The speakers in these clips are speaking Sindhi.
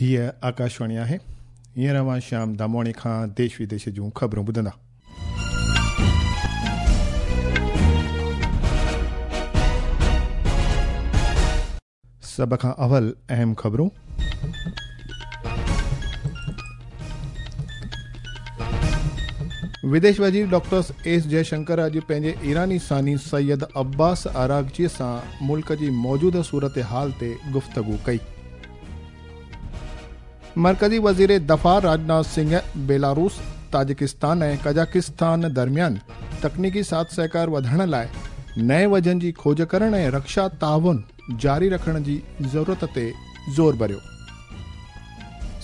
هيء آڪاشواڻي آهي. هينئر اوهان شيام دامواڻي کان ديش وديش جون خبرون ٻڌندا. سڀ کان اول اهم خبرون. وديش وزير ڊاڪٽر ايس جئشنڪر اڄ پنهنجي ايراني ثاني سيد عباس عراقچي سان ملڪ جي موجوده صورتحال تي گفتگو ڪئي. مرڪزي وزير دفاع راجناٿ سنگهه بيلاروس، تاجڪستان ۽ قزاقستان درميان تڪنيڪي ساٿ سهڪار وڌائڻ لاء نئين وجهن جي کوج ڪرڻ ۽ رڪشا تعاون جاري رکڻ جي ضرورت تي زور ڀريو.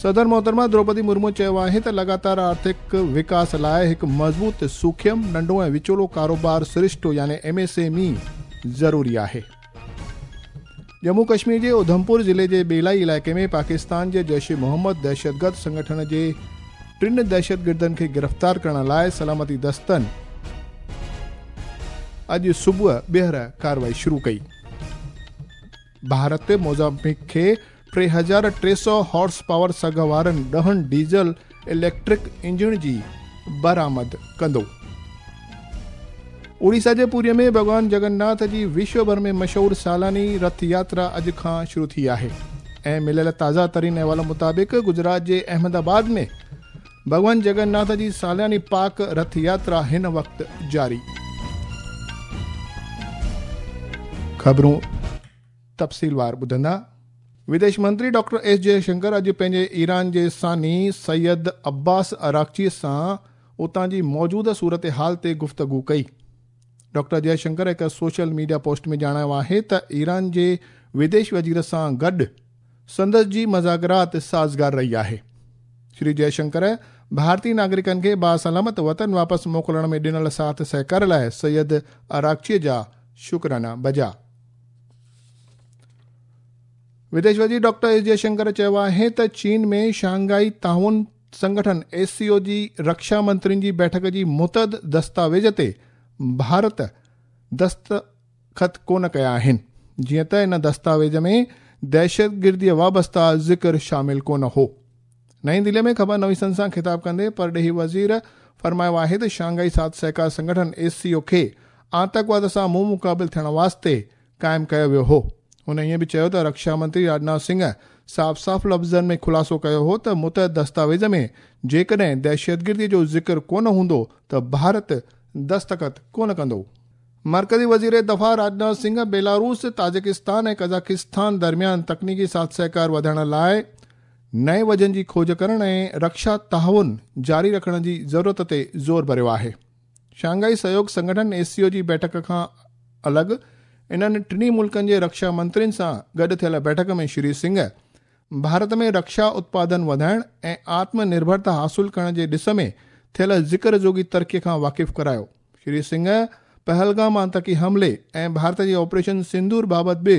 صدر محترمه دروپدي مرمو چيو آهي ته لڳاتار آرٿڪ وڪاس لاء هڪ مضبوط سوکيم، ننڍو ۽ وچولو ڪاروبار سرشتو يعني ايم ايس ايم اي ضروري آهي. ڄمون ڪشمير جي اڌمپور ضلعي جي ٻيلائي علائقي ۾ پاڪستان جي جيش محمد دهشتگرد سنگٺن جي ٽن دهشتگردن کي گرفتار ڪرڻ لاء سلامتي دستن اڄ صبح ٻيهر ڪارروائي شروع ڪئي. ڀارت موزامبيق کي 3300 هارس پاور سگهه وارن 10 ڊيزل اليڪٽرڪ انجڻ جي برآمد ڪندو. اوڙيسا جي پوريء ۾ ڀڳوان جگناٿ جي وشو ڀر ۾ مشهور سالاني رٿ ياترا اڄ کان شروع ٿي آهي ۽ مليل تازه ترين احوال مطابق گجرات جي احمد آباد ۾ ڀڳوان جگناٿ جي سالياني پاڪ رٿ ياترا هن وقت جاري. خبرون تفصيلوار ٻڌندا. وديش منتري ڊاڪٽر ايس جئشنڪر اڄ پنهنجي ايران جي ثاني سيد عباس عراقچي سان اتان جي موجوده صورتحال تي گفتگو ڪئي. ڊاڪٽر جئشنڪر هڪ سوشل ميڊيا پوسٽ ۾ ڄاڻايو آهي ته ايران جي وديش وزير سان گڏ سندس جي مذاڪرات سازگار رهي آهي. شري جئشنڪر ڀارتي ناگرڪن کي باسلامت وطن واپس موڪلڻ ۾ ڏنل ساٿ سهڪار لاء سيد عراقچي جا شڪرانا بجا. وديش وزير ڊاڪٽر ايس جئشنڪر چيو آهي ته چين ۾ شانگهائي تعاون سنگٺن ايس سي او جي رڪشا منترين جي بيٺڪ جي متحد دستاويز تي ڀارت دستخط ڪونه ڪيا آهن، جيئن ته ان دستاويز ۾ دهشتگرديء وابسته ذڪر شامل ڪونه هو. نئين دهلي ۾ خبر نويسن سان خطاب ڪندي پرڏيهي وزير فرمايو آهي ته شانگهائي ساٿ سهڪار سنگٺن ايس سي او کي آتنڪواد سان منهن مقابل ٿيڻ واسطي قائم ڪيو ويو هو. هن ائين به چيو ته رڪشا منتري راجناٿ سنگهه صاف صاف لفظن ۾ خلاصو ڪيو هو ته متحد دستاويز ۾ جيڪڏهن دهشتگردي جو ذڪر ڪونه هوندو ته ڀارت دستخط ڪونه ڪندو. مرڪزي وزير دفاع راجناٿ سنگهه بيلاروس، تاجڪستان ۽ قزاقستان درميان تڪنيڪي ساٿ سهڪار وڌائڻ لاء نئين وجهن جي کوج ڪرڻ ۽ رڪشا تعاون جاري رکڻ جي ضرورت تي زور ڀريو آهي. شانگهائي سهيوگ سنگٺن ايس سي او جي بيٺڪ کان الڳ انهن ٽنهي ملڪن جي رڪشا منترين سان گڏ ٿيل بيٺڪ ۾ شري سنگهه ڀارت ۾ رڪشا اتپادن وڌائڻ ۽ آتم نرڀرتا حاصل ڪرڻ جي ڏس ۾ ٿيل ذڪر جوڳي ترقي کان واقف ڪرايو. شري سنگهه پهلگام آتنڪي حملي ۽ ڀارت جي آپريشن سندور بابت به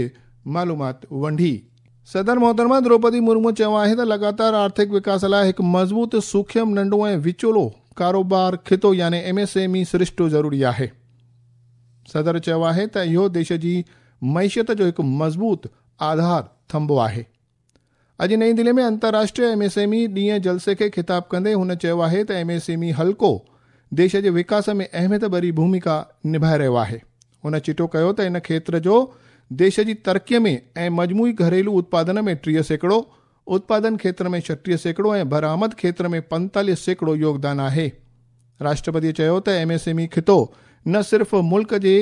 معلومات ونڊي. صدر محترمه دروپدي مرمو چيو آهي ته لڳاتار آرٿڪ وڪاس لاء هڪ مضبوط، سوکيم، ننڍو ۽ وچولو ڪاروبار خطو يعني ايم ايس ايم اي سرشتو ضروري آهي. صدر چيو آهي ته اهو ديش جي معيشت جو هڪ مضبوط آڌار ٿنڀو آهي. اڄ نئين دهلي ۾ انترراشٽريه ايم ايس ايم اي ڏينهن جلسي کي خطاب ڪندي هن چيو آهي ته ايم ايس ايم اي حلقو ديش جي وڪاس ۾ اهميت ڀري ڀوميڪا نڀائي رهيو آهي. هن چٽو ڪيو ته ان کيتر جو ديش جي ترقي ۾ ۽ مجموعي گهريلو اتپادن ۾ 30%، اتپادن کيتر ۾ 36% ۽ برآمد کيتر ۾ 45% يوگدان آهي. راشٽرپتي چيو ته ايم ايس ايم اي خطو نه صرف ملڪ جي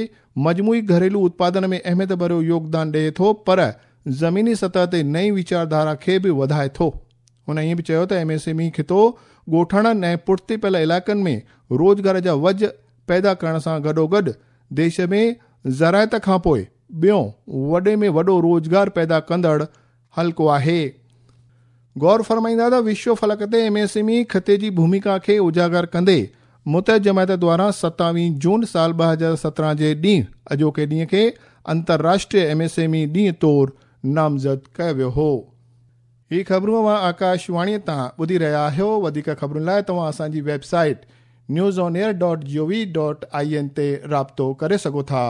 مجموعي گهريلو اتپادن ۾ اهميت ڀريو يوگدان ڏئي ٿو پر زميني سطح تي نئين ويچارڌارا کي به وڌائي ٿو. هن ائين به چيو ته ايم ايس ايم اي خطو ڳوٺاڻن ۽ پٺتي پيل علائقن ۾ روزگار جا وجهه پيدا ڪرڻ سان گڏوگڏ ديش ۾ زراعت کانپوء ٻيون وڏي ۾ وڏو روزگار پيدا ڪندڙ حلقو آهي. غور فرمائيندا ته وشو فلڪ تي ايم ايس ايم اي خطي جي ڀوميڪا کي اجاگر ڪندي متحد جماعت دواران 27 جون سال 2017 جي ڏينهن اڄوڪي ڏينهن کي انترراشٽريه ايم ايس ايم اي ڏينهن طور نامزد ڪيو ويو هو. هي خبرون اوهان آڪاش واڻي تان ٻڌي رهيا آهيو. وڌيڪ خبرن لاء توهان اسان جي website news on air dot G O V dot I N تي رابطو ڪري سگهو ٿا.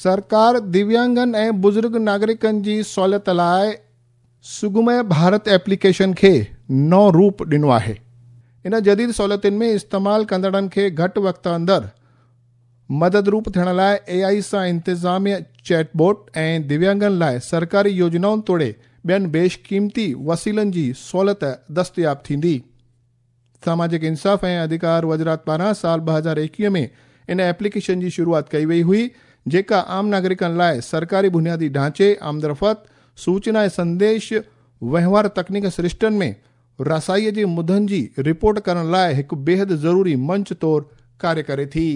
سرڪار دويانگن ۽ بزرگ ناگرڪن جي سهوليت لاء سگميه ڀارت ايپليڪيشن کي نئون روپ ڏنو آهي. ان جديد سهوليتن ۾ استعمال ڪندڙن کي گهٽ وقت اندر مدد روپ ٿيڻ لاء اي آء سان انتظاميه چيٽ بوٽ ۽ دويانگن لاء سرڪاري يوجنائن توڙي ٻين بيش قيمتي وسيلن جي سهولت دستياب ٿيندي. ساماجڪ انصاف ۽ اڌڪار وزارت پاران سال 2021 ۾ ان ايپليڪيشن جي شروعات ڪئي وئي هئي، جيڪا عام ناگرڪن لاء سرڪاري بنيادي ڍانچي، آمدرفت، سوچنا ۽ سنديش وهنوار تڪنيڪ سرشتن ۾ رسائيء جي مدن جي رپورٽ ڪرڻ لاء هڪ بيحد ضروري منچ طور ڪاريه ڪري ٿي.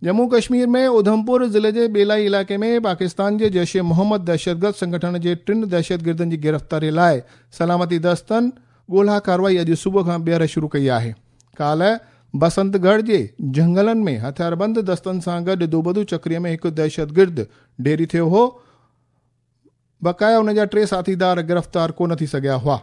ڄمون ڪشمير ۾ اڌمپور ضلعي جي ٻيلائي علائقي ۾ پاڪستان جي جيش محمد دهشتگرد سنگٺن جي ٽن دهشتگردن جي گرفتاري لاء سلامتي دستن ڳولها ڪارروائي اڄ صبح کان ٻيهر شروع ڪئي آهي. ڪالهه بسنت ڳڙهه جي جهنگلن ۾ هٿياربند دستن سان گڏ دوبدو چڪري ۾ هڪ دهشتگرد ڍيري ٿيو هو. بقايا ان جا ٽي ساٿيدار گرفتار ڪو نه ٿي سگهيا هئا.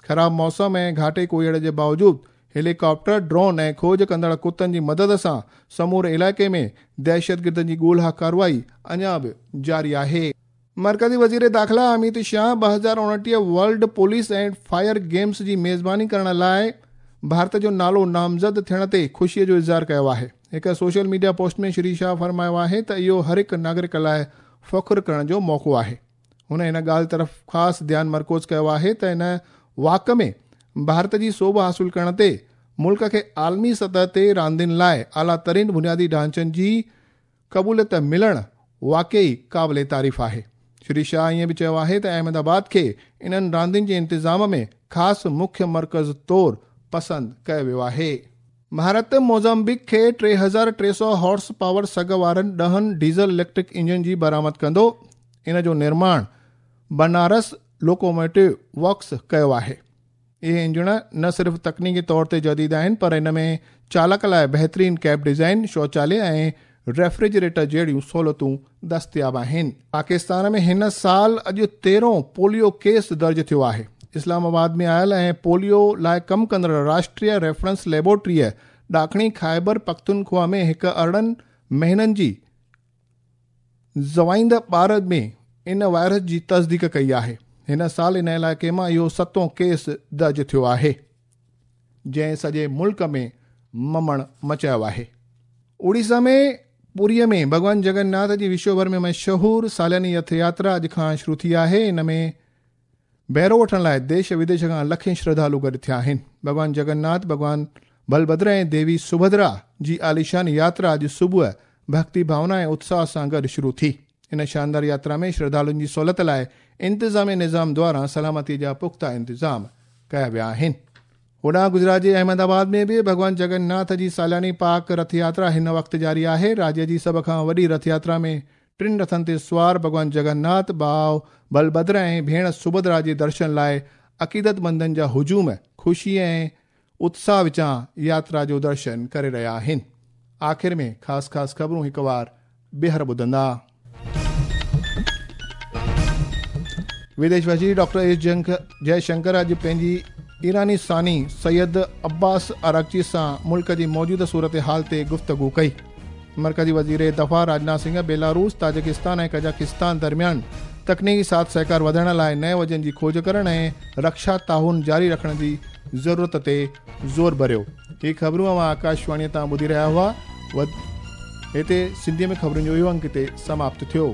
خراب موسم ۽ گهاٽي ڪوهيڙي جي باوجود هيليڪاپٽر، ڊرون ۽ کوج ڪندڙ ڪتن جي مدد سان سموري علائقي ۾ دهشتگردن جي ڳولها ڪارروائي اڃا به جاري آهي. مرڪزي وزير داخلا Amit Shah 2029 world police and fire games جي ميزباني ڪرڻ لاء ڀارت جو نالو نامزد ٿيڻ تي خوشي جو اظهار ڪيو آهي. هڪ social media post ۾ Shri Shah فرمايو آهي ته اهو هر هڪ ناگرڪ لاء فخر ڪرڻ جو موقعو آهي. هن ان ڳالهه طرف خاص ڌيان مرڪوز ڪيو آهي ته ان واڪ ۾ ڀارت جي سوڀ حاصل ڪرڻ تي ملڪ کي عالمي سطح تي راندين لاء اعليٰ ترين بنيادي ڍانچن جي قبوليت ملڻ واقعي قابل تعريف آهي. شري شاهه ائين به چيو آهي ته احمد آباد کي انهن راندين جي انتظام ۾ خاص مکيه مرڪز طور پسند ڪيو ويو آهي. ڀارت موزمبيق کي 3300 هارس پاور سگهه وارن ڏهن ڊيزل اليڪٽرڪ انجن جي برآمد ڪندو. ان جو نرماڻ بنارس لوڪوموٽو ورڪس ڪيو آهي. اهي انجڻ نه صرف تڪنيڪي طور تي جديد آهن پر ان ۾ چالڪ لاء بهترين ڪيب ڊيزائن، شوچاليه ۽ ريفريجريٽر جهڙيون سهولتون دستياب آهن. پاڪستان ۾ هن سال اڄ تيرهون پوليو ڪيس درج ٿيو آهي. اسلام آباد ۾ آيل ۽ پوليو لاء ڪم ڪندڙ راشٽريه ريفرنس ليبارٽريء ڏاکڻي خيبر پختونخوا ۾ هڪ 18 مهينن جي زوائيده ٻار ۾ ان وائرس جي تصديق ڪئي آهي. هن سال ان علائقي مان اهو ستون ڪيس درج ٿيو آهي. جنهن سڄي ملڪ ۾ ممڻ مچايو آهي. اوڙيسا ۾ پوريء ۾ ڀڳوان جگن ناٿ جي وشو ڀر ۾ مشهور سالياني رٿ ياترا اڄ کان شروع ٿي آهي. ان ۾ بهرو وٺڻ لاء ديش وديش کان لکين شرڌالو گڏ ٿيا آهن. ڀڳوان جگن ناٿ، ڀڳوان بلڀدر ۽ ديوي سڀدرا جي عاليشان ياترا اڄ صبح ڀڳتي ڀاونا ۽ اتساهه سان گڏ شروع ٿي. ان شاندار ياترا ۾ شرڌالن جي سهولت لاء انتظامي نظام دواران سلامتي جا پختا انتظام ڪيا ويا آهن. هوڏانهن گجرات جي احمد آباد ۾ به ڀڳوان جگن ناٿ جي سالياني پاڪ رٿ ياترا هن وقت جاري آهي. راجيه جي سڀ کان وڏي رٿ ياترا ۾ ٽن رٿن تي سوار ڀڳوان جگن ناٿ، ڀاء بلڀدر ۽ ڀيڻ سڀدرا جي درشن لاء عقيدتمندن جا هجوم خوشي ۽ اتساهه وچان ياترا جو درشن ڪري رهيا آهن. آخر ۾ خاص خاص خبرون هڪ وار ٻيهر ٻڌندا. وديش وزير ڊاڪٽر ايس جئه شنڪر اڄ پنهنجي ايراني ثاني سيد عباس عراقچي سان ملڪ جي موجوده صورتحال تي گفتگو ڪئي. مرڪزي وزير دفاع راجناٿ سنگهه بيلاروس، تاجڪستان ۽ قزاقستان درميان تڪنيڪي ساٿ سهڪار وڌائڻ لاء نئين وجهن جي کوج ڪرڻ ۽ رڪشا تعاون جاري رکڻ جي ضرورت تي زور ڀريو. هي خبرون اوهان آڪاشواڻيء تان ٻڌي رهيا هئا. هتي سنڌيء ۾ خبرن جو اهو انڪ هتي سماپت ٿيو.